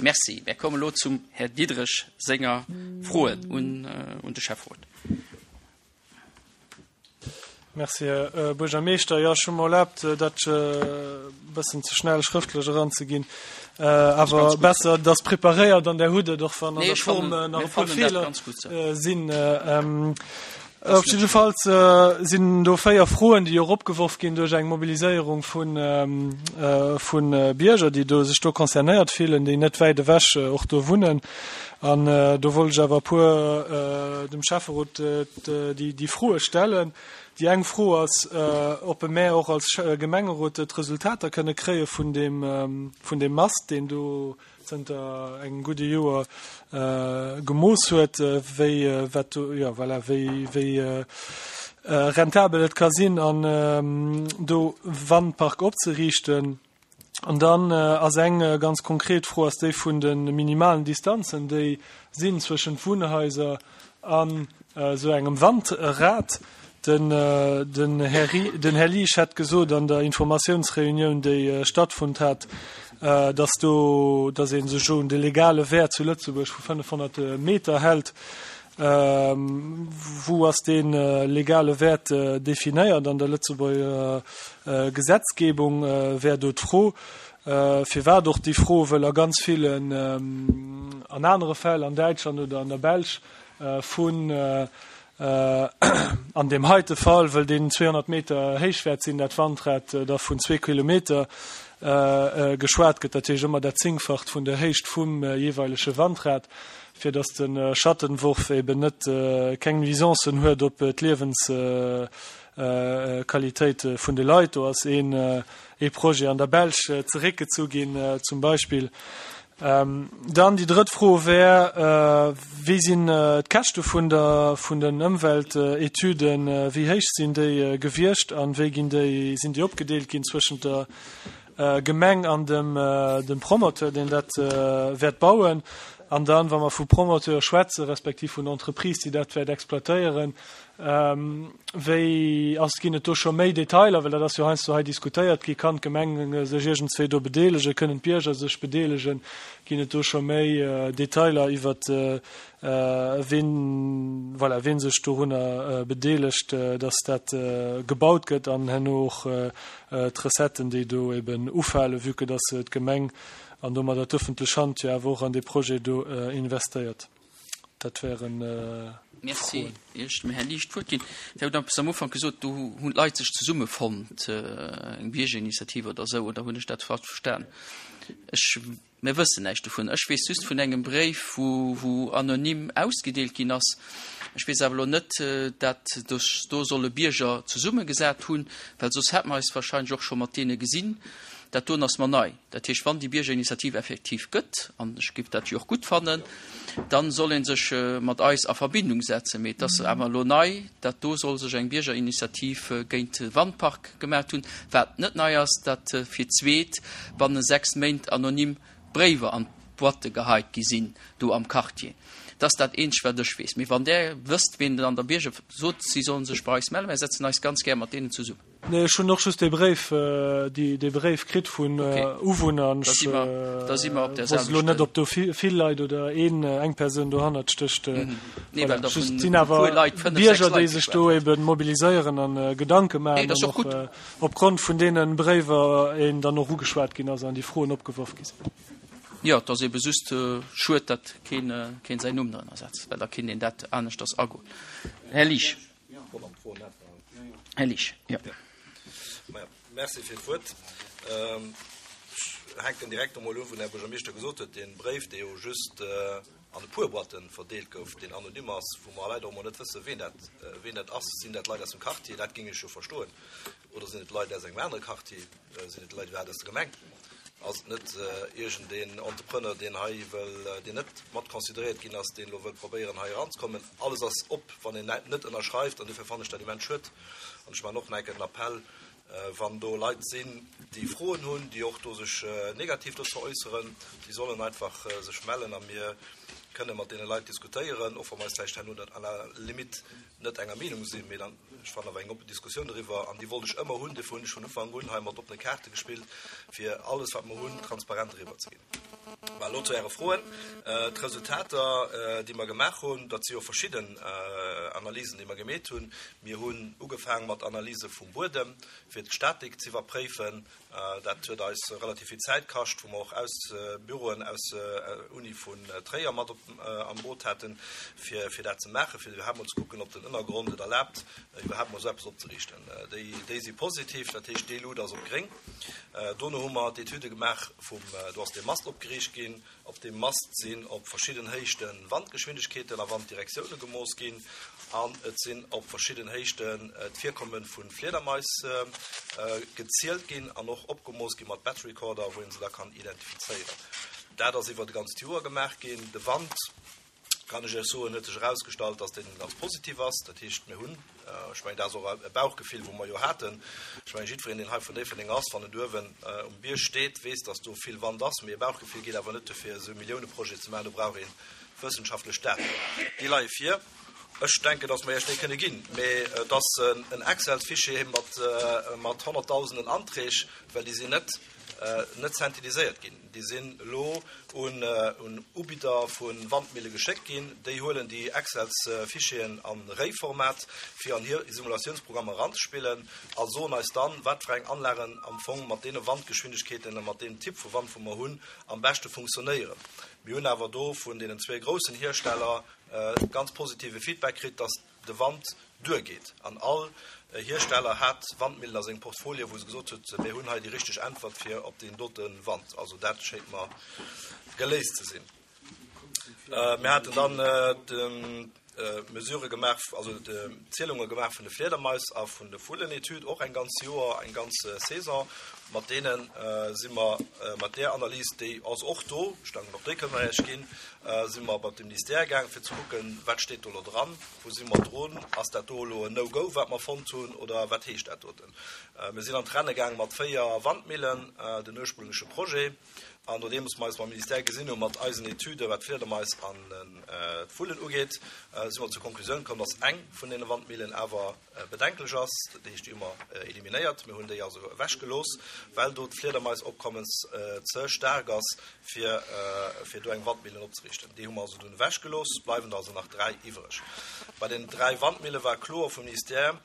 Merci. Mär kommen elo zum Här Diderich senger Froen un un de Schäfferot. Merci, Här Buergermeeschter. Jo, ech hu mer erlaabt, dat e bëssen ze schnell schrëftlech eranzeginn. Awer besser, et ass preparéiert an Der hutt et, och wann an der Form nach e puer Feeler sinn. Op jiddefalls sinn do 4 Froen, déi och opgeworf ginn duerch eng Mobiliséierung vu Bierger, déi do sech do concernéiert fillen, déi net wäit ewech och do wunnen. An do wollt ech awer e puer dem Schäfferot déi Froe stellen. Déi eng Fro ass, ob mär och als Gemengerot d'Resultater kënne kréie vun deem Mast, deen do zënter engem gudde Joer gemooss huet, wéi wat do, jo voilà, wéi wéi rentabel et ka sinn an do Wandpark opzeriichten. An dann ass eng ganz konkret Fro ass déi vun de minimalen Distanzen, déi sinn zwëschent Wunnhaiser An esou engem Wandrad. Den Här Liesch hätt gesot an der Informatiounsreunioun, déi stattfonnt hat, datt do, datt ee sech un de legale Wäert zu Lëtzebuerg vu 500 Meter hält. Wou ass dee legale Wäert definéiert an der Lëtzebuerger Gesetzgebung, wär do d'Fro. Firwat och déi Fro? Wëll a ganz villen, an anere Fäll an Däitschland oder an der Belsch, vun, an deem heite Fall, wëll deen 200 Meter héich wäert sinn, dat Wandrad, da vun zwee Kilometer geschwat gëtt, dat heescht ëmmer dat Zéngfacht vun der Héicht vum jeeweilege Wandrad, fir datt de Schattenwurf eben net, keng Nuisancen huet op d'Liewensqualitéit vun de Leit. Do ass een ee Projet an der Belsch zeréckgezu ginn zum Beispill. Dann déi drëtt Fro wär, Wéi sinn d'Käschte vun der, vun den Ëmweltetüden, wéi héich sinn déi gewiescht a wéi ginn déi, sinn déi opgedeelt ginn zwëschent der Gemeng an dem, dem Promoteur, deen dat wäert bauen? An dann, wa mer vu Promoteur schwätze respektiv vun Entreprise, déi dat wäert exploitéieren, Wéi ass, ginn et do scho méi Detailer, well dat ass jo heiansdo hei diskutéiert gi, kann d'Gemeng sech iergendswéi do bedeelegen, kënnen d'Bierger sech bedeelegen, ginn et do scho méi Detailer iwwert ween, voilà, ween sech dorunner bedeelegt, datt dat gebaut gëtt an herno och d'Recetten, déi do eben ufalen, vue que datt d'Gemeng an domadder d'ëffentlech Hand jo awer och an dee Projet do investéiert. Dat wären Merci. Froen. Ier ech dem Här Liesch d'Wuert ginn, Dir hutt eppes am Ufank gesot, do hunn d'Leit sech zesummefonnt, eng Biergerinitiativ oder esou, oder hunn ech dat falsch verstan? Ech, mir wëssen näischt dovun. Ech weess just vun engem Bréif, wou, wou anonym ausgedeelt ginn ass. Ech weess awer elo net, dat sech do solle Bierger zesummegesat hunn, well soss hätte mer eis wahrscheinlech och scho mat deene gesinn. Dat doen ass mer nei. Dat heescht, wann déi Biergerinitiativ effektiv gëtt, an ech géif dat jo och gutt fannen, da soll ee sech mat eis a Verbindung setzen. Mee et ass awer elo nei, dat do soll sech eng Biergerinitiativ géint de Wandpark gemaacht hunn. Wat net nei ass, dat fir d'zweet banne 6 Méint anonym Bréiwer an d'Boîte geheit gi sinn do am Quartier. Dat ass dat eenzegt, wat ech weess. Mee wann Der wësst, ween an der Bierger, sot, si sollen sech bei eis mellen. Mir setzen eis ganz gär mat deenen zesummen. Nee, ech hunn och just dee Bréif, dee Bréif kritt vun Uwunner an ech wosst elo net, ob do vill Leit oder een, eng Persoun dohannert stécht. Voilà, just sinn awer Bierger, déi sech do ebe mobiliséieren an Gedanke maachen an och opgrond vun deene Bréiwer een dann och ugeschwat ginn ass an déi Froen opgeworf gi sinn. Jo, et ass ebe just schued, datt keen säin Numm drënner setzt, well da kinnt een dat aneschters agoen. Här Liesch. Här Liesch, jo. Merci fir d'Wuert. Ech hänken direkt emol u wou den Här Buergermeeschter gesot huet, dee Bréif, dee jo just an e puer Boîten verdeelt gouf, deen anonym ass, wou mer leider och emol net wëssen, ween dat, ween dat ass. Sinn dat Leit aus dem Quartier? Dat géing ech jo verstoen. Oder sinn et Leit aus engem anere Quartier? Sinn et Leit iwwerhaapt aus der Gemeng? Ass et net iergendeen Entrepreneur, deen hei wëll, deen net mat consideréiert ginn ass, deen elo wëll probéieren, hei eranzekommen? Alles ass op, wann een net ënnerschreift. An dofir fannen ech dat immens schued. An ech maachen och nach eng Kéier den Appell, wann do Leit sinn, déi Froen hunn, déi och do sech negativ dozou äusseren, déi sollen einfach sech mellen a mir kënne mat deene Leit diskutéieren, och wa mer eis vläicht herno net à la limite net enger Meenung sinn, mee dann, ech fannen awer eng oppen Diskussioun doriwwer, an déi wollt ech ëmmer hunn, dofir hunn ech vun Ufank un hei mat oppene Kaarte gespillt, fir alles wat mer hunn transparent eriwwer ze ginn. Mä elo zu Äre Froen. D'Resultater, déi mer gemaach hunn, dat si jo verschidden Analysen, déi mer gemeet hunn. Mir hunn ugefaang mat Analyse vum Buedem, fir d'Statik z'iwwerpréifen. Dat huet eis relativ vill Zäit kascht, wou mer och aus Büroen aus Uni vun Tréier mat op am Boot haten, fir fir dat ze maachen, fir iwwerhaapt mol ze kucken, ob den Ënnergrond et erlaabt, iwwerhaapt mol esou eppes opzeriichten. Déi déi si positiv, dat heescht, déi Luut ass op gréng. Dono hu mer d'Etüde gemaach vum, do ass dee Mast opgeriicht ginn. Op deem Mast sinn op verschidden Héichte Wandgeschwindegkeeten a Wanddirektioune gemooss ginn an et sinn op verschidden Héichten d'Virkomme vu Fliedermais gezielt ginn an och opgemooss gi mat Bat Recorder, wou een se da kann identifizéieren. Dat ass iwwert e ganzt Joer gemaach ginn. De Wand, kann ech Iech soen, huet sech erausgestallt, dass deen ganz positiv ass. Dat heescht, mir hunn, ech mengen, dat ass och e Bauchgefill, wou mer jo haten, ech mengen, jiddwereen, deen hei vun Déifferdeng ass, wann en uewen um Bierg steet, weess, dass do vill Wand ass. Mee e Bauchgefill geet awer net duer, fir esou e Milliouneprojet ze maachen. Do brauch ee wëssenschaftlech Daten. Déi leie vir. Ech denken, dass mer Iech déi kënne ginn. Mee et ass en Excel-Fichier mat honnertdausenden Anträg, well déi sinn net net synthétiséiert ginn. Déi sinn elo un Ubidder vu Wandmille geschéckt ginn. Déi huelen déi Excels-Fichieren a Réiformat, fir an hir Simulatiounsprogrammer eranzespillen a soen eis dann, wat fir eng Anlagen am Fong mat deene Wandgeschwindegkeeten a mat deem Typ vu Wand, wou mer hunn, am beschte funktionéieren. Mir hunn awer do vun deenen zwee groussen Hiersteller ganz positive Feedback kritt, dass de Wand duergeet. An all Hiersteller hat Wandmillen a sengem Portfolio, wou se gesot huet, mir hunn hei déi richteg Äntwert fir op deen dote Wand. Also dat schéngt mer geléist ze sinn. Mir haten dann d'Mesurë gemaach, also d'Zielunge gemaach vun de Fliedermais a vun de Vullenetüd, och eng ganz Joer, eng ganz Saison. Mat deene si mer, mat där Analys, déi ass och do, ech denken och déi kënne mer Iech ginn, si mer bei de Ministère gaang fir ze kucken, wat steet do elo dran, wou si mer drun, ass dat do elo en No-Go, wat mer fonnt hunn, oder wat heescht dat doten. Mir sinn an d'Renne gaang mat 4 Wandmillen, den ursprüngleche Projet, an nodeems mer eis mam Ministère gesinn hu mat eisen Etüden, wat d'Fliedermais an d'Vullen ugeet, si mer zur Konklusioun komm, dass eng vun deene Wandmillen awer bedenklech ass, dat heescht déi hu mer eliminéiert, mir hunn déi also ewechgelooss, well do d'Fliedermaisopkommes ze staark ass, fir fir do eng Wandmillen opzeriichten. Déi hu mer also dunn ewechgelooss, et bleiwen der also nach 3 iwwreg. Bei den 3 Wandmille war kloer vum Ministère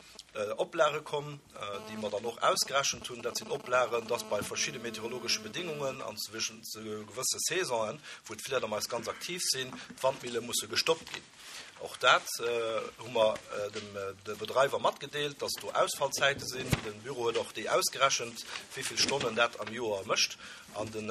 Oplage komm, déi mer dann och ausgerechent hunn. Dat sinn Oplagen, dass bei verschidde meteorologesche Bedingungen an zu gewësse Saisonen, wou d'Fliedermais ganz aktiv sinn, d'Wandmille musse gestoppt ginn. Och dat hu mer dem de Bedreiwer matgedeelt, dass do Ausfallzäite sinn. De Büro huet och déi ausgerechent, wéi vill Stonnen dat am Joer mécht. An den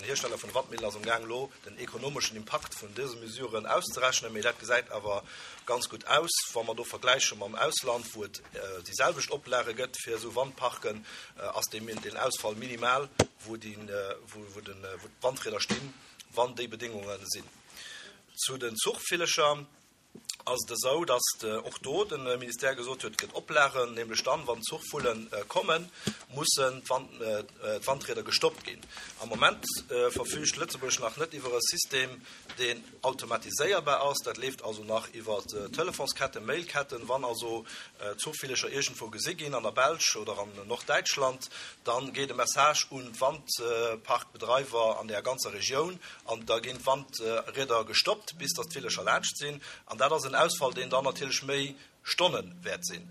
Hiersteller vun de Wandmillen ass amgaang elo den ekonomeschen Impakt vun dëse Mesuren auszerechnen. Mee dat gesäit awer ganz gutt aus, wa mer do vergläiche mam Ausland, wou et déi selwecht Oplage gëtt fir esou Wandparken, ass deen Ausfall minimal, wou d'Wandrieder stinn, wann déi Bedéngunge sinn. Zu den Zuchvillecher ass et esou, datt och do de Ministère gesot huet, et gëtt Oplagen, nämlech dann, wann d'Zuchvulle kommen, mussen d'Wandrieder gestoppt ginn. Am Moment verfüügt Lëtzebuerg nach net iwwer e System, deen automatiséierbar ass. Dat leeft also nach iwwer Telefonsketten, Mailketten. Wann also Zuchvillecher iergendwou gesi ginn, an der Belsch oder an Norddäitschland, da geet e Message un d'Wandparkbedreiwer an där ganzer Regioun, An da ginn d'Wandrieder gestoppt, bis datt d'Villecher laanscht sinn. An dat ass en Ausfall, deen dann natierlech méi Stonne wäert sinn.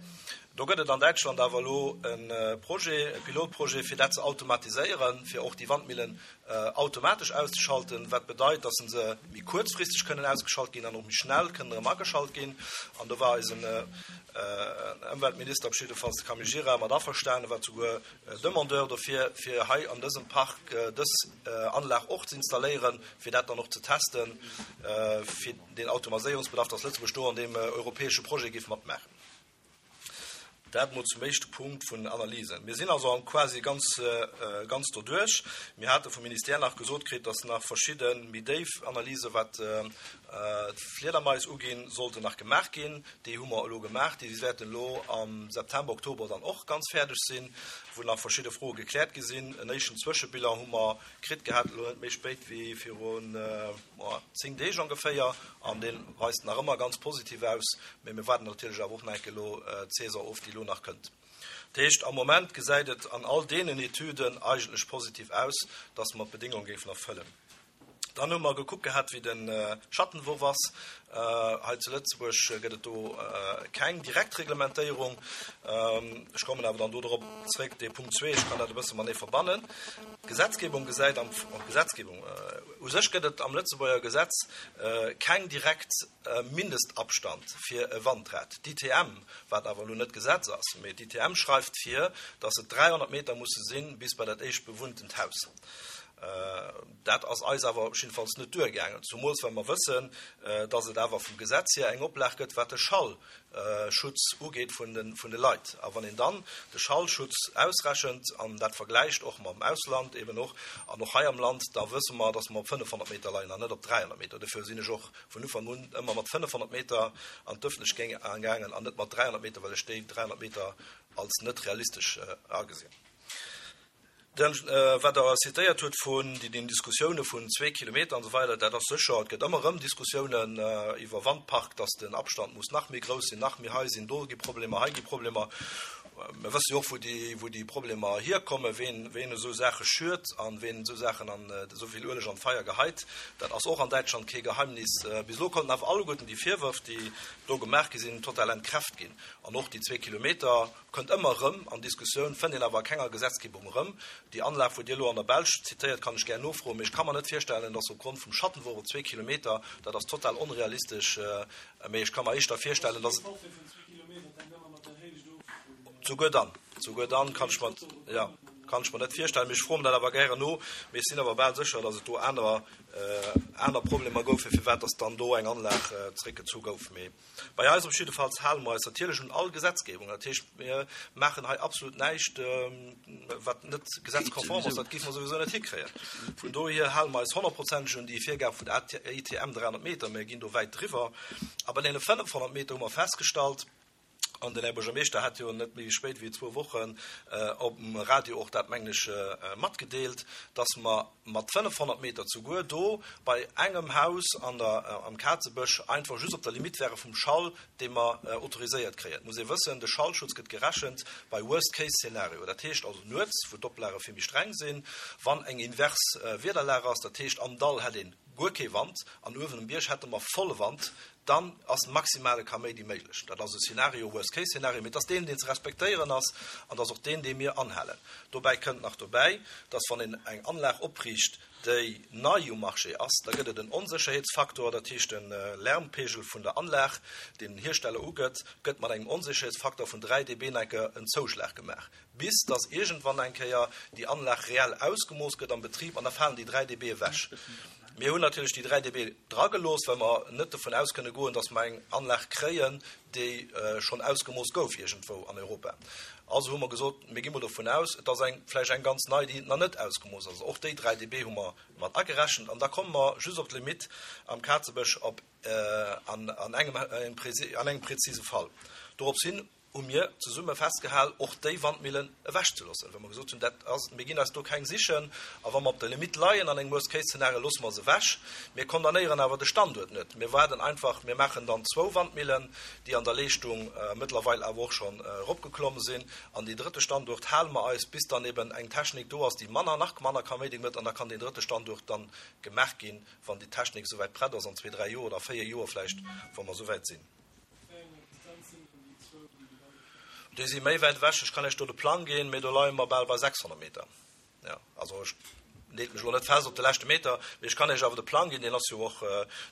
Do gëtt et an Däitschland awer elo e Projet, e Pilotprojet, fir dat ze automatiséieren, fir och déi Wandmillen automatesch auszeschalten, wat bedeit, datt se méi kuerzfristeg kënnen ausgeschalt ginn an och méi schnell kënnen erëm ageschalt ginn. An do war eisen Ëmweltminister, op jiddefalls de Camille Gira, mat averstanen, war souguer Demandeur dofir, fir hei an dësem Park dës Anlag och ze installéieren, fir dat dann och ze testen, fir deen Automaséierungsbedarf, dass Lëtzebuerg do an deem europäesche Projet géif matmaachen. Dat emol zum éischte Punkt vun den Analysen. Mir sinn also quasi ganz, ganz doduerch. Mir hate vum Ministère nach gesot kritt, dass nach verschidde méi déif Analysen, wat d'Fliedermais uginn, sollten nach gemaach ginn. Déi hu mer elo gemaach. Déi wäerten elo am September, Oktober dann och ganz fäerdeg sinn, wou nach verschidde Froe gekläert gi sinn. En éischten Zwëschebilan hu mer kritt gehat, elo net méi spéit wéi virun 10 Deeg ongeféier, an dee weist nach ëmmer ganz positiv aus. Mee mir waarden natierlech awer och nach eng Kéier elo d'Saison of, déi elo nach kënnt. Dat heescht, am Moment gesäit et an all deenen Etüden eigentlech positiv aus, dass mer d'Bedingung géifen erfëllen. Dann hu mer gekuckt gehat, wéi de Schattenwurf ass. Hei zu Lëtzebuerg gëtt et do keng direkt Reglementéierung. Ech kommen awer dann do drop zréck, dee Punkt zwee, ech kann dat e bësse matenee verbannen. D'Gesetzgebung gesäit am, d'Gesetzgebung, u sech gëtt et am Lëtzebuerger Gesetz keng direkt Mindestabstand fir e Wandrad. D'ITM, wat awer elo net Gesetz ass, mee d'ITM schreift vir, dass et 300 Meter musse sinn bis bei dat éischt bewunntent Haus. Dat ass eis awer jiddefalls net duergaangen, zumools well mer wëssen, dass et awer vum Gesetz hier eng Oplag gëtt, wat de Schallschutz ugeet vun de Leit. A wann een dann de Schallschutz ausrechent an dat vergläicht och mam Ausland eben och an och hei am Land, da wësse mer, dass mer op 500 Meter leien an net op 300 Meter. Dofir sinn ech och vun Ufank un ëmmer mat 500 Meter an d'Ëffentlechkeet gaangen an net mat 300 Meter, well ech déi 300 Meter als net realistesch agesinn. Den, wat Der zitéiert hutt vun den Diskussioune vun zwee Kilometer an esou weider, dat ass sécher, et gëtt ëmmer erëm Diskussiounen iwwer Wandpark, datt den Abstand muss nach méi grouss sinn, nach méi hei sinn, do gi Problemer, hei gi Problemer. Mir wësse jo och, wou déi, wou déi Problemer hierkommen, ween, ween esou Saache schürt an ween esou Saachen an esou vill Ueleg an d'Feier geheit. Dat ass och an Däitschland kee Geheimnis. Bis elo konnten awer alleguerten déi Virwërf, déi do gemaach gi sinn, total entkräft ginn. An och déi zwee Kilometer, Kënnt ëmmer erëm an Diskussioun, fënnt een awer a kenger Gesetzgebung erëm. Déi Anlag, wou Dir elo an der Belsch zitéiert, kann ech gär nofroen, mee ech ka mer net virstellen, dass opgrond vum Schattenwurf op zwee Kilometer, dat ass total onrealistesch, mee ech ka mer éischter virstellen, dass et. Souguer dann, souguer dann kann ech mer, jo, kann ech mer net virstellen, mee ech froe mer dat awer gären no. Mee ech sinn awer bal sécher, dass et do aner, aner Problemer goufen, firwat dass dann do eng Anlag zréckgezu gouf. Mee. Bei eis op jiddefalls hale mer eis natierlech un all Gesetzgebung. Dat heescht, mir maachen hei absolut näischt, wat net gesetzkonform ass. Dat géife mer souwisou net hikréien. Vun dohier hale mer eis honnertprozenteg un déi Virgab vun der ITM 300 Meter. Mir ginn do wäit driwwer. A bei deene 500 Meter hu mer festgestallt, an den Här Buergermeeschter hat jo net méi spéit wéi zwou Wochen op dem Radio och dat, mengen ech, matgedeelt, dass mer, mat 500 Meter zuguer do bei engem Haus an der am Kazebësch einfach just op der Limite wäre vum Schall, dee mer autoriséiert kréien. Et muss ee wëssen, de Schallschutz gëtt gerechent bei Worst-Case-Szenario, dat heescht also nuets, wou d'Oplage vill méi streng sinn, wann eng invers Wiederlag ass, dat heescht am Dall hätt een guer kee Wand an uewen um Bierg hätte mer volle Wand, dann ass maximale Kaméidi méiglech. Dat ass e Szenario, Worst-Case-Szenario, mee et ass deen, deen ze respektéieren ass an et ass och deen, dee mir anhalen. Dobäi kënnt nach dobäi, dass wann een eng Anlag opriicht, déi nei um Marché ass, da gëtt et en Onsécherheetsfaktor, dat heescht de Lärmpegel vun der Anlag, deen den Hiersteller ugëtt, gëtt mat engem Onsécherheetsfaktor vun 3 dB enke en Zouschlag gemaach, bis dass iergendwann eng Kéier déi Anlag reell ausgemooss gëtt am Betrib an da falen déi 3 dB ewech. Mir hunn natierlech déi 3 dB dragelooss, well mer net dovun aus kënne goen, dass mer eng Anlag kréien, déi schonn ausgemooss gouf iergendwou an Europa. Also hu mer gesot, mir gi mol dovun aus, et ass eng, vläicht eng ganz nei, déi nach net ausgemooss ass. Och déi 3 dB hu mer mat agerechent an da komme mer just op d'Limitt am Kazebësch op an engem, an engem prezise Fall. Dorops hin hu mir zesumme festgehal, och déi Wandmillen ewechzeloossen, well mer gesot hunn, dat ass, mir ginn eis do keng sichen, a wa mer op der Limitt leien an engem Worst-Case-Zeenario, loosse mer se ewech. Mir condamnéieren awer de Standuert net. Mir waarden einfach, mir maachen dann zwou Wandmillen, déi an der Leeschtung mëttlerweil awer och schonn eropgeklomm sinn, an deen drëtte Standuert hale mer eis, bis dann eben eng Technik do ass, déi manner, nach manner Kaméidi mécht, an da kann deen drëtte Standuert dann gemaach ginn, wann déi Technik esouwäit prett ass, an zwee, dräi Joer oder véier Joer vläicht, wa mer esouwäit sinn. Déi si méi wäit ewech. Ech kann Iech do de Plang ginn, mee do leie mer bal bei 600 Meter. Jo, also ech leet mech elo net fest op de leschte Meter, mee ech kann Iech awer de Plang ginn. Deen ass jo och,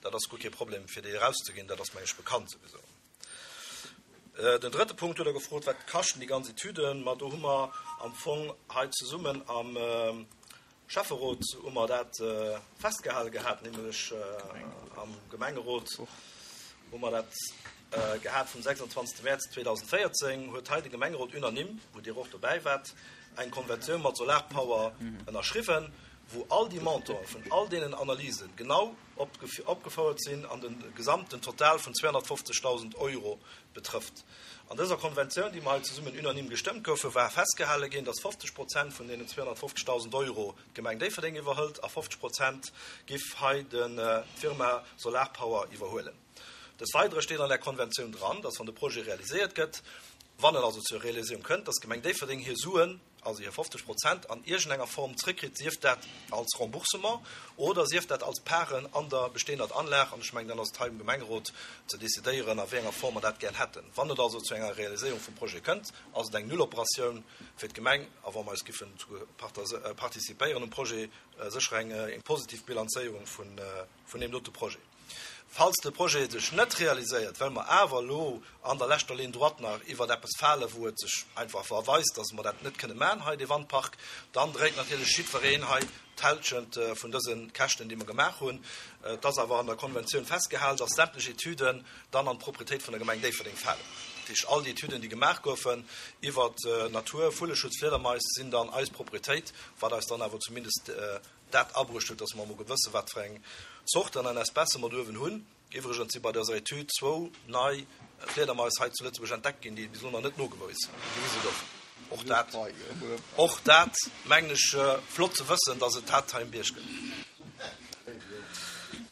dat ass guer kee Problem, fir dee erauszeginn. Dat ass, meng ech, bekannt souwisou. Den drëtte Punkt hutt Der gefrot, Wat kaschten déi ganz Etüden? Ma do hu mer am Fong hei zesummen am Schäfferot hu mer dat festgehale gehat, nämlech am Gemengerot hu mer dat gehat vum 26. Mäerz 2014 huet hei de Gemengerot unanime, wou Dir och dobäi waart, eng Konventioun mat Solarpower ënnerschriwwen, wou all déi Montanten vun all deenen Analysen genau opgefouert sinn an de gesamten Total vun 250.000 Euro betrëfft. An dëser Konventioun, déi mer hei zesummen unanime gestëmmt goufen, war festgehale ginn, dass 50 Prozent vun deenen 250.000 Euro d'Gemeng Déifferdeng iwwerhëlt a 50 Prozent giff hei d'Firma Solarpower iwwerhuelen. Des Weidere steet an där Konventioun dran, dass wann de Projet realiséiert gëtt. Wann et also zur Realiséierung kënnt, dass d'Gemeng Déifferdeng hir Suen, also hir 50 Prozent, an iergendenger Form zrëckkritt, sief dat als Remboursement oder sief dat als Paren an der bestehender Anlag, an ech mengen, dann ass et hei um Gemengerot ze decidéieren, a wéi enger Form mer dat gär hätten. Wann et also zu enger Realiséierung vum Projet kënnt, ass et eng Nulloperatioun fir d'Gemeng, a wa mer eis giffen participéieren um Projet, sécher eng positiv Bilanzéierung vun deem dote Projet. Falls de Projet sech net realiséiert, well mer awer elo an der leschter Ligne droite nach iwwert eppes falen, wou et sech einfach erweist, dass mer dat net kënne maachen hei, dee Wandpark, dann dréit natierlech jiddwereen hei d'Hälschent vun dëse Käschten, déi mer gemaach hunn. Et ass awer an der Konventioun festgehalen, dass sämtlech Etüden dann an d'Proprietéit vun der Gemeng Déifferdeng falen. Dat heescht, all déi Etüden, déi gemaach goufen iwwert Natur, Vulleschutz, Fliedermais, sinn dann eis Proprietéit, wat eis dann awer zumindest dat abruecht huet, dass mer emol gewësse wat fir eng Zorten an Espècë mer do uewen hunn. Iwwregens si bei dëser Etüd zwou nei Fliedermais hei zu Lëtzebuerg entdeckt ginn, déi bis elo nach net nogewise goufen. Och dat, och dat mengen ech flott ze wëssen, dass et dat hei um Bierg gëtt.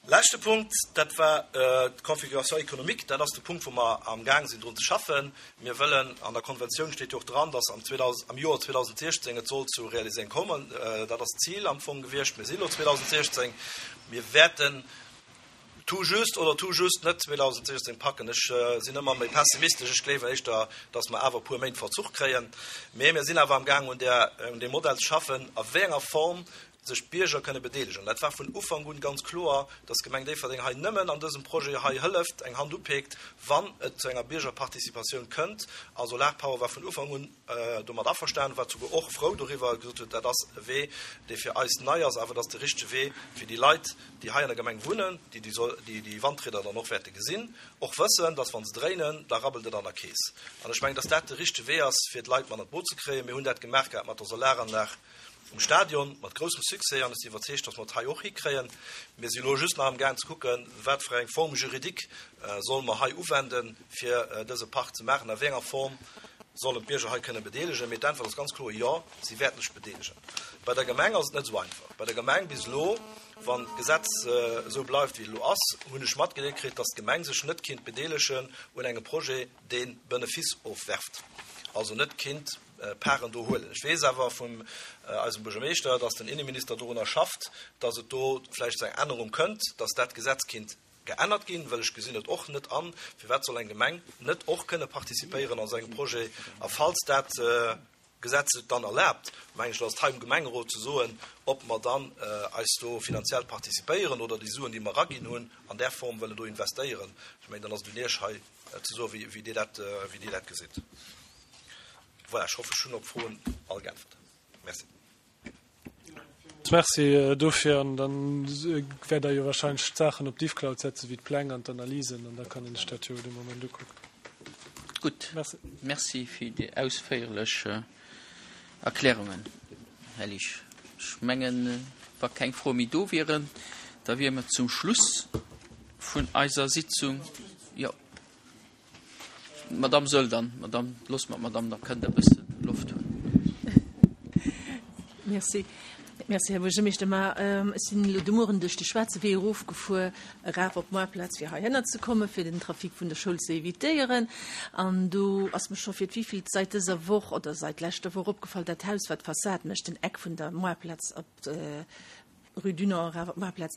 Leschte Punkt, dat war d'Configuration économique. Dat ass de Punkt, wou mer amgaang sinn drun ze schaffen. Mir wëllen, an der Konventioun steet jo och dran, dass am am Joer 2016 et soll zu Realiséierung kommen. Dat ass d'Zil am Fong gewiescht. Mir si lo 2016. Mir wäerten tout juste oder tout juste net 2016 packen. Ech sinn ëmmer méi pessimistesch. Ech gleewen éischter, dass mer awer e puer Méint Verzuch kréien. Mee mir sinn awer amgaang un där, un deem Modell ze schaffen, a wéi enger Form sech d'Bierger kënne bedeelegen. Dat war vun Ufank un ganz kloer, dass d'Gemeng Déifferdeng hei nëmmen an dësem Projet hei hëlleft, eng Hand upeekt, wann et zu enger Biergerparticipatioun kënnt. A Solarpower war vun Ufank un domat averstanen, war souguer och frou doriwwer, gesot huet, dat ass e Wee, dee fir eis nei ass, awer et ass de richtege Wee fir déi Leit, déi hei an der Gemeng wunnen, déi déi Wandrieder dann och wäerte gesinn, och wëssen, dass wa se dréinen, da rabbelt et an der Keess. An ech mengen, dass dat de richtege Wee ass, fir d'Leit mat an d'Boot ze kréien. Mir hunn dat gemaach gehat mat der Solaranlag um Stadion, mat groussem Succès, an ech sinn iwwerzeegt, dass mer et hei och hikréien. Mir si elo just nach amgaang ze kucken, wat fir eng Forme juridique solle mer hei uwenden, fir dëse Park ze maachen, a wéi enger Form sollen d'Bierger hei kënne bedeelegen. Mee d'Äntwert ass ganz kloer, Jo, si wäerten sech bedeelegen. Bei der Gemeng ass et net esou einfach. Bei der Gemeng bis elo, wann d'Gesetz esou bleift, wéi et elo ass, hunn ech matgedeelt kritt, dass d'Gemeng sech net kinnt bedeelegen un engem Projet, dee Benefice ofwerft, also net kinnt Paren do huelen. Ech weess awer vun eisem Buergermeeschter, dass den Inneminister dorunner schafft, dass et do vläicht zu enger Ännerung kënnt, dass dat Gesetz kinnt geännert ginn, well ech gesinn et och net an, firwat soll eng Gemeng net och kënne participéieren an esou engem Projet. A falls dat Gesetz et dann erlaabt, mengen ech, ass et hei um Gemengerot ze soen, ob mer dann eis do finanziell participéieren oder déi Suen, déi mer eraginn hunn, an där Form wëllen do investéieren. Ech mengen, dann ass et un Iech hei ze soen, wéi Dir dat, wéi Dir dat gesitt. Voilà, ech hoffen, ech hunn op d'Froen all geäntwert. Merci. Merci dofir. An da wäert Der jo wahrscheinlech d'Saachen op d'Ifcloud setzen, wéi d'Pläng an d'Analysen, an da kann een sech dat jo dee Moment ukucken. Gutt. Merci. Merci fir déi ausféierlech Erklärungen, Här Liesch. Ech mengen, wa keng Froe méi do wieren, da wiere mer zum Schluss vun eiser Sitzung. Jo. D'Madame soll dann, Madame, loosse mer d'Madame, da kënnt Der e bësse Loft hunn. Merci. Merci, Här Buergermeeschter. Ma ech sinn elo de Mueren duerch de Schwaarze Wee erofgefuer, eraf op d'Moarplaz, fir heihinner ze kommen, fir den Trafic vun der Schoul ze evitéieren. An do ass mer scho fir d'wivillt seit dëser Woch oder seit leschter Woch opgefall, dat Haus, wat d'Fassad mécht, den Eck vun der Moarplaz op Rue du Nord eraf op d'Maartplaz,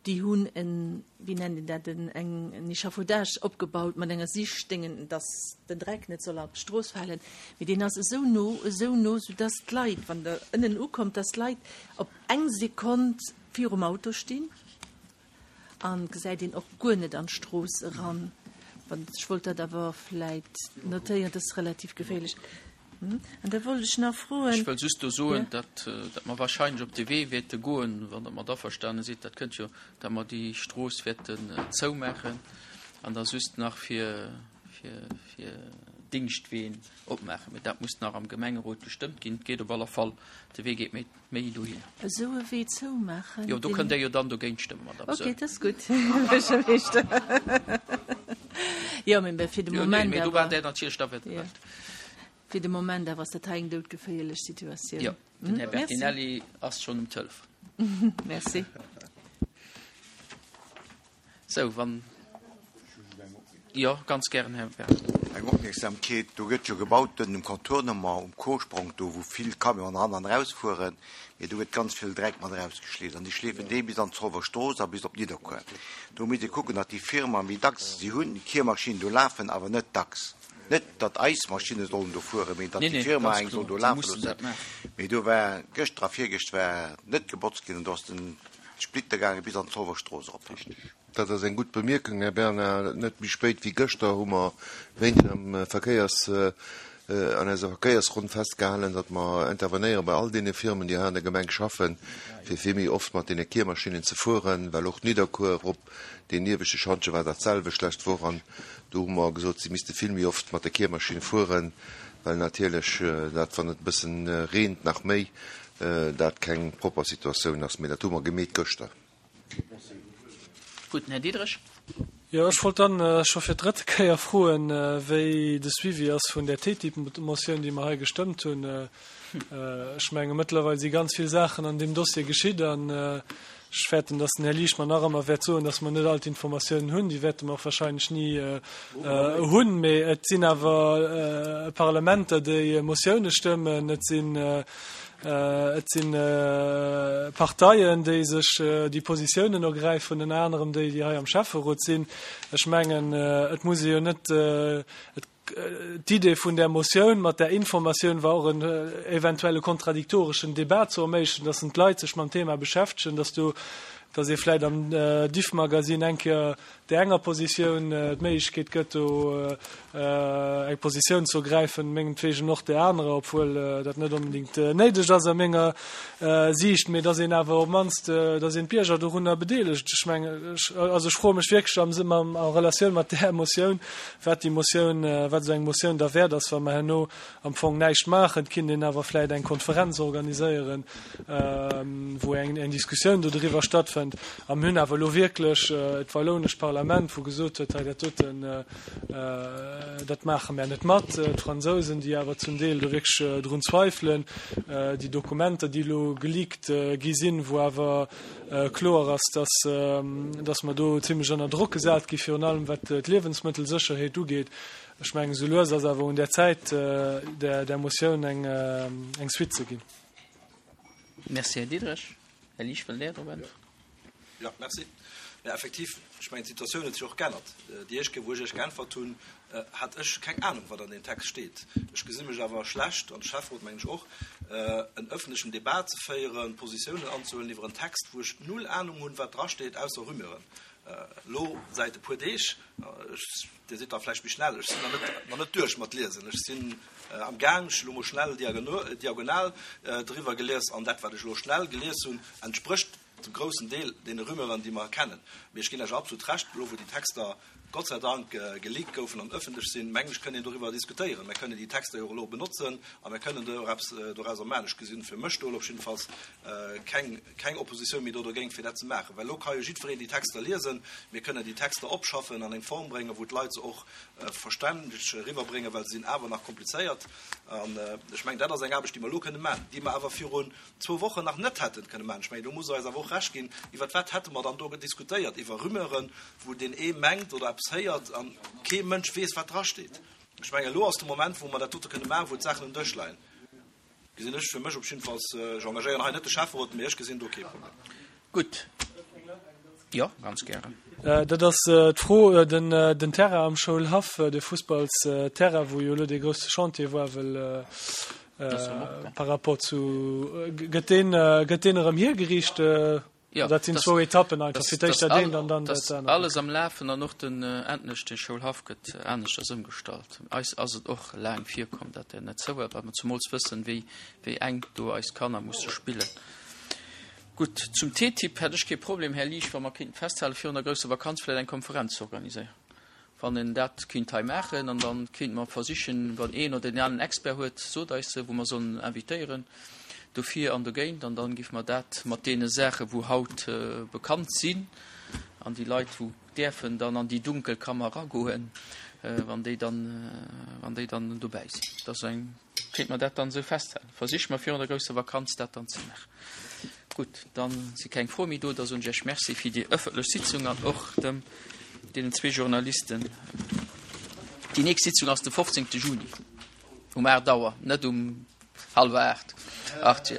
déi hunn en, wéi nennt een dat, en, eng, en Echafaudage opgebaut mat enger Sichtdéngen, dass den Dreck net soll op d'Strooss falen. Mee deen ass esou no, esou no, soudass d'Leit, wann Der ënnen ukommt, dass d'Leit op eng Sekonn virum Auto stinn an gesäit een och guer net an d'Strooss eran. Wann, ech wollt dat awer vläit notéieren, dat ass relativ geféierlech. An da wollt ech nach froen. Ech wëll just do soen, datt, datt mer wahrscheinlech op de Wee wäerte goen, wann Der mat averstane sidd, dat kënnt jo, datt mer déi Strooss wäerten zoumaachen an da just nach fir, fir, fir Dingschtween opmaachen. Mee dat muss nach am Gemengerot gestëmmt ginn. Et geet op alle Fall, de Wee geet méi, méi dohin. Esou e Wee zoumaachen? Jo, do kënnt Der jo dann dogéint stëmmen, Madame Soen. Okay, dat ass gutt, Här Buergermeeschter. Jo, mee fir de Moment awer. Mee do waart Der natierlech da, wat Der wëllt. Fir de Moment awer ass dat hei eng doudgeféierlech Situatioun. Jo, den Här Bertinelli ass schonn um Telefon. Merci. Sou, wann. Jo, ganz gären, Här Bertinelli. Eng Opmierksamkeet, Do gëtt jo gebaut dënn um Contournement um Kosprong, do wou vill Camionen eran an erausfueren, mee do gëtt ganz vill Dreck mat erausgeschleeft an déi schleefen dee bis an d'Zolwer Strooss a bis op Nidderkuer. Do misst ee kucken, datt déi Firma méi dacks, si hunn Kiermaschinen do lafen, awer net dacks, net datt eis Maschinne sollen do fueren, mee datt déi Firma eng soll do lafe loossen. Mee do war gëschter a virgëscht war net gebotzt ginn an do ass den Splitter gaange bis an d'Zolwer Strooss erop. Dat ass eng gutt Bemierkung, Här Bernard. Net méi spéit wéi gëschter hu mer wéinst am Verkéiers, an eiser Verkéiersronn festgehalen, datt mer intervenéiere bei all deene Firmen, déi hei an der Gemeng schaffen, fir vill méi oft mat deene Kiermaschinnen ze fueren, well och Nidderkuer erop, deen ieweschte Schantje war dat selwecht d'lescht Woch an do hu mer gesot, si misste vill méi oft mat der Kiermaschinn fueren, well natierlech dat, wann et e bëssen reent, nach méi, dat keng propper Situatioun ass. Mee dat hu mer gemeet gëschter. Gutt, den Här Diderich. Jo, ech wollt dann scho fir d'drëtte Kéier froen, wéi de Suivi ass vun där TTIP-Motioun, déi mer hei gestëmmt hunn. Ech menge mëttlerweil si ganz vill Saachen an deem Dossier geschitt an ech fäerten, dass den Här Liesch mer nach ëmmer wäert soen, dass mer net all d'Informatiounen hunn. Déi wäerte mer och wahrscheinlech ni hunn. Mee et sinn awer Parlamenter, déi Motioune stëmmen. Et sinn Et si Parteien, déi sech déi Positiounen ergräifen, ënner anerem déi, déi hei am Schäfferot sinn. Ech mengen, et muss ee jo net, d'Idee vun där Motioun mat där Informatioun war och en eventuelle kontradiktoreschen Debat ze erméiglechen, dass d'Leit sech mam Thema beschäftegen, dass do, dass ee vläicht am Diffmagazin eng Kéier där enger Positioun d'Méiglechkeet gëtt, do eng Positioun ze ergräifen, mengetwegen och där anerer, obwuel dat net onbedéngt néideg ass a menger Siicht, mee dass een awer op d'mannst, dass een d'Bierger dorunner bedeelegt. Ech mengen, also ech froe mech wierklech am Sënn, a Relatioun mat där Motioun, wat déi Motioun, wat esou eng Motioun da wäert ass, wa mer herno am Fong näischt maachen. Et kinnt een awer vläicht eng Konferenz organiséieren, wou eng eng Diskussioun do driwwer stattfënnt. A mir hunn awer elo wierklech d'Wallounescht Parlament, wou gesot huet, hei dat doten, dat maache mär net mat. D'Fransousen, déi awer zum Deel do wierklech drun zweifelen. Déi Dokumenter, déi elo geleakt gi sinn, wou awer kloer ass, dass, dass mer do zimlech ënner Drock gesat gi virun allem wat d'Liewensmëttelsécherheet ugeet. Ech mengen, esou lues ass awer un der Zäit, där Motioun eng Suite ze ginn. Merci, Här Diderich. Här Liesch, wëllt Där drop äntweren? Jo, merci. Jo, effektiv, ech mengen, d'Situatioun huet sech och geännert. Déi éischt Kéier, wou ech Iech geäntwert hunn, hat ech keng Anung, wat an deem Text steet. Ech gesi mech awer schlecht, an de Schäfferot mengen ech och, en öffentlechen Debat ze féieren, Positiounen anzehuelen iwwer en Text, wou ech null Anung hunn, wat drasteet, ausser Rumeuren. Elo säit e puer Deeg, ech, Dir sidd da vläicht méi schnell, ech sinn nach net, nach net duerch mat liesen. Ech sinn am Gaang, ech hu elo mol schnell diagonal driwwer gelies an dat, wat ech elo schnell gelies hunn, entsprécht zum groussen Deel deene Rumeuren, déi mer kennen. Mee ech ginn lech absolut Recht, elo wou déi Texter Gott sei Dank geleakt goufen an ëffentlech sinn, mengen ech, kënnt een doriwwer diskutéieren. Mir kënnen déi Texter jo och elo benotzen a mir kënnen do och eppes dorauser maachen. Ech gesinn fir mech do elo op jiddefalls keng, keng Oppositioun méi do dogéint, fir dat ze maachen, well elo ka jo jiddwereen déi Texter liesen. Mir kënnen déi Texter opschaffen, an eng Form bréngen, wou d'Leit se och verständlech eriwwerbréngen, well se sinn awer nach komplizéiert. An ech mengen, dat ass eng Aarbecht, déi mer elo kënne maachen, déi mer awer virun zwou Wochen nach net hätten kënne maachen. Ech mengen, do muss Der eis awer och Recht ginn. Iwwer wat hätte mer dann do diskutéiert? Iwwer Rumeuren, wou deen ee mengt oder eppes héiert a kee Mënsch weess, wat drasteet. Ech mengen, elo ass de Moment, wou mer dat dote kënne maachen, wou d'Saachen um Dësch leien. Gesinn ech fir mech op jiddefalls. Ech engagéieren hei net de Schäfferot, mee ech gesinn do kee Problem. Gutt. Jo, ganz gären. Dat ass d'Fro, den Terrain am Schoulhaff, de Fussballsterrain, wou jo elo dee grousse Chantier war, well par rapport zu, gëtt deen, gëtt deen erëm hiergeriicht? Jo, dat sinn zwou Etappen einfach, fir d'éischt dat eent an dann dat anert. Alles am Lafen an och den endlech de Schoulhaff gëtt aneschters ëmgestallt. Eis ass et och laang virkomm, datt en net zou war, well mer zemools wëssen, wéi wéi enk do eis Kanner musse spillen. Gutt, zum TTIP hätt ech kee Problem, Här Liesch, wa mer kéinten festhalen, virun der grousser Vakanz vläicht eng Konferenz ze organiséieren. Wann een dat kéint hei maachen, an dann kéinte mer versichen, wann een oder deen aneren Expert huet, sot eis se, wou mer sollen invitéieren dofir an dogéint, an dann géife mer dat mat deene Saache wou haut bekannt sinn, an déi Leit wou däerfen dann an déi dunkel Kammer eragoen, wann déi dann, wann déi dann dobäi sinn. Dat ass eng. Kéint mer dat dann esou festhalen? Versiche mer virun der grousser Vakanz dat dann ze maachen. Gutt, da si keng Froe méi do. Da soen ech Iech Merci fir déi ëffentlech Sitzung an och dem deenen zwee Journalisten. Déi nächst Sitzung ass de 15. Juni um 8 Auer, net um hallwer 8. Arthur.